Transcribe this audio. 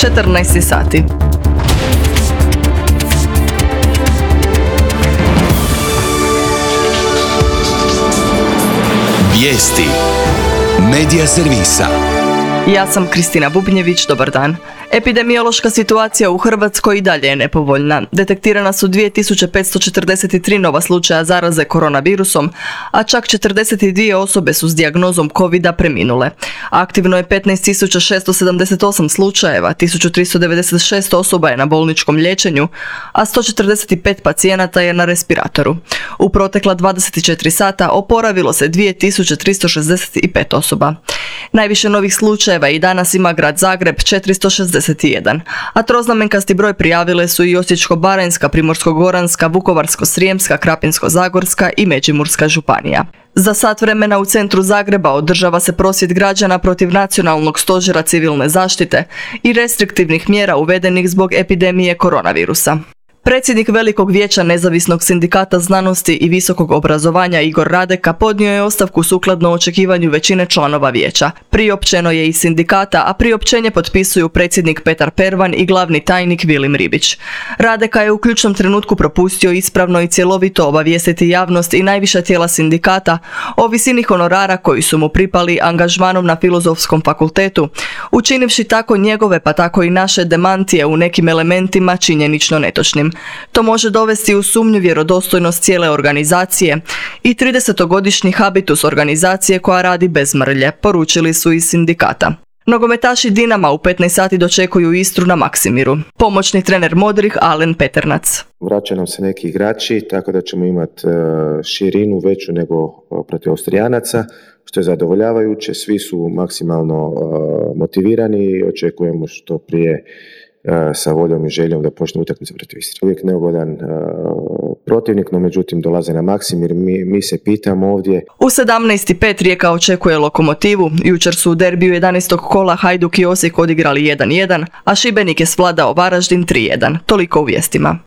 14 sati. Vijesti Medija servisa. Ja sam Kristina Bubnjević, dobar dan. Epidemiološka situacija u Hrvatskoj i dalje je nepovoljna. Detektirana su 2543 nova slučaja zaraze koronavirusom, a čak 42 osobe su s dijagnozom COVID-a preminule. Aktivno je 15.678 slučajeva, 1396 osoba je na bolničkom liječenju, a 145 pacijenata je na respiratoru. U protekla 24 sata oporavilo se 2365 osoba. Najviše novih slučajeva i danas ima grad Zagreb 461, a troznamenkasti broj prijavile su i Osječko-baranjska, Primorsko-goranska, Vukovarsko-srijemska, Krapinsko-zagorska i Međimurska županija. Za sat vremena u centru Zagreba održava se prosvjed građana protiv Nacionalnog stožera civilne zaštite i restriktivnih mjera uvedenih zbog epidemije koronavirusa. Predsjednik Velikog vijeća Nezavisnog sindikata znanosti i visokog obrazovanja Igor Radeka podnio je ostavku sukladno očekivanju većine članova vijeća. Priopćeno je iz sindikata, a priopćenje potpisuju predsjednik Petar Pervan i glavni tajnik Vilim Ribić. Radeka je u ključnom trenutku propustio ispravno i cjelovito obavijestiti javnost i najviša tijela sindikata o visini honorara koji su mu pripali angažmanom na Filozofskom fakultetu, učinivši tako njegove pa tako i naše demantije u nekim elementima činjenično netočnim. To može dovesti u sumnju vjerodostojnost cijele organizacije i 30-godišnji habitus organizacije koja radi bez mrlje, poručili su iz sindikata. Nogometaši Dinama u 15 sati dočekuju Istru na Maksimiru. Pomoćni trener Modrih Alen Peternac. Vraća nam se neki igrači, tako da ćemo imati širinu veću nego protiv Austrijanaca, što je zadovoljavajuće. Svi su maksimalno motivirani i očekujemo što prije sa voljom i željom da počne utakmica protiv Istre. Uvijek neugodan protivnik, no međutim dolaze na Maksimir. Mi se pitamo ovdje. U 17:05 Rijeka očekuje Lokomotivu. Jučer su u derbiju 11. kola Hajduk i Osijek odigrali 1-1, a Šibenik je svladao Varaždin 3-1. Toliko u vijestima.